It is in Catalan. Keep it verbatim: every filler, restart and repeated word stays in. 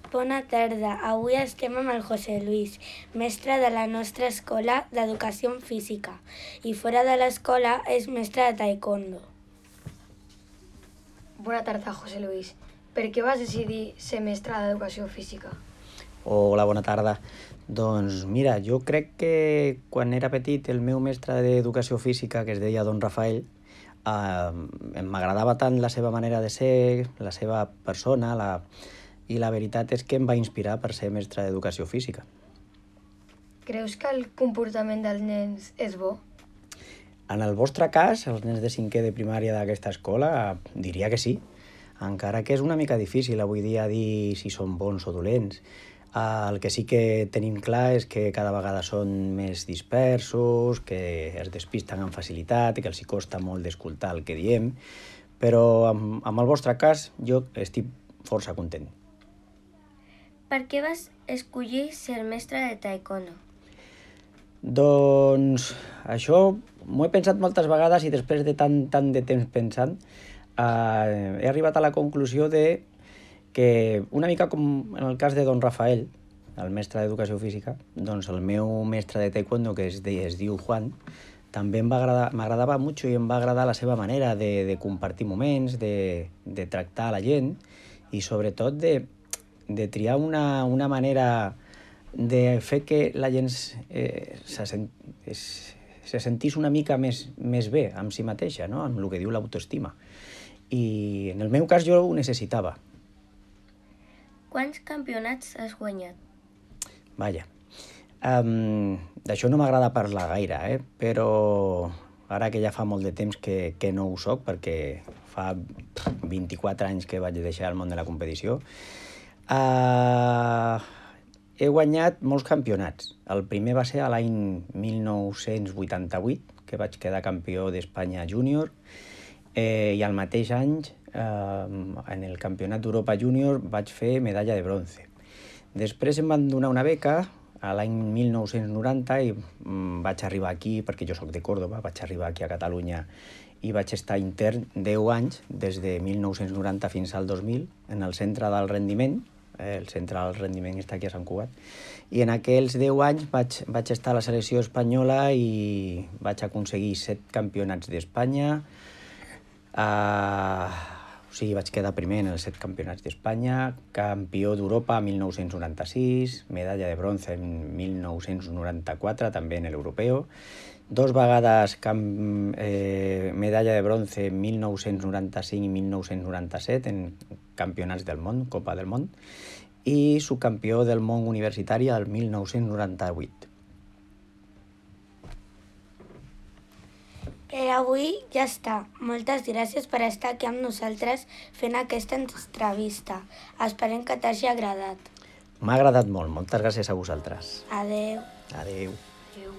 Bona tarda. Avui estem amb el José Luis, mestre de la nostra escola d'Educació Física, i fora de l'escola és mestre de taekwondo. Bona tarda, José Luis. Per què vas decidir ser mestre d'Educació Física? Hola, bona tarda. Doncs mira, jo crec que quan era petit el meu mestre d'Educació Física, que es deia Don Rafael, eh, m'agradava tant la seva manera de ser, la seva persona, la... i la veritat és que em va inspirar per ser mestre d'Educació Física. Creus que el comportament dels nens és bo? En el vostre cas, els nens de cinquè de primària d'aquesta escola, diria que sí, encara que és una mica difícil avui dia dir si són bons o dolents. El que sí que tenim clar és que cada vegada són més dispersos, que es despisten amb facilitat i que els hi costa molt d'escoltar el que diem, però amb, amb el vostre cas jo estic força content. Per què vas escollir ser mestre de taekwondo? Doncs això m'ho he pensat moltes vegades i després de tant, tant de temps pensant eh, he arribat a la conclusió de que una mica com en el cas de Don Rafael, el mestre d'Educació Física, doncs el meu mestre de taekwondo, que es, de, es diu Juan, també m'agradava molt i em va agradar la seva manera de, de compartir moments, de, de tractar la gent i sobretot de, de triar una, una manera de fer que la gent eh, se, sent, es, se sentís una mica més, més bé amb si mateixa, no? Amb el que diu l'autoestima. I en el meu cas jo ho necessitava. Quants campionats has guanyat? Vaja, um, d'això no m'agrada parlar gaire, eh? Però ara que ja fa molt de temps que, que no ho soc, perquè fa vint-i-quatre anys que vaig deixar el món de la competició, uh, he guanyat molts campionats. El primer va ser l'any mil nou-cents vuitanta-vuit, que vaig quedar campió d'Espanya júnior, eh, i al mateix any, eh, en el Campionat d'Europa júnior, vaig fer medalla de bronze. Després em van donar una beca a l'any mil nou-cents noranta i mm, vaig arribar aquí, perquè jo sóc de Còrdoba, vaig arribar aquí a Catalunya i vaig estar intern deu anys, des de mil nou-cents noranta fins al dos mil, en el centre del rendiment. El centre del rendiment està aquí a Sant Cugat, i en aquells deu anys vaig, vaig estar a la selecció espanyola i vaig aconseguir set campionats d'Espanya, uh, o sigui, vaig quedar primer en els set campionats d'Espanya, campió d'Europa a mil nou-cents noranta-sis, medalla de bronze en mil nou-cents noranta-quatre, també en l'europeu, dos vegades camp, eh, medalla de bronze en mil nou-cents noranta-cinc i mil nou-cents noranta-set en campionats del món, Copa del Món, i subcampió del món universitari el mil nou-cents noranta-vuit. Per avui ja està. Moltes gràcies per estar aquí amb nosaltres fent aquesta entrevista. Esperem que t'hagi agradat. M'ha agradat molt. Moltes gràcies a vosaltres. Adeu. Adeu. Adéu.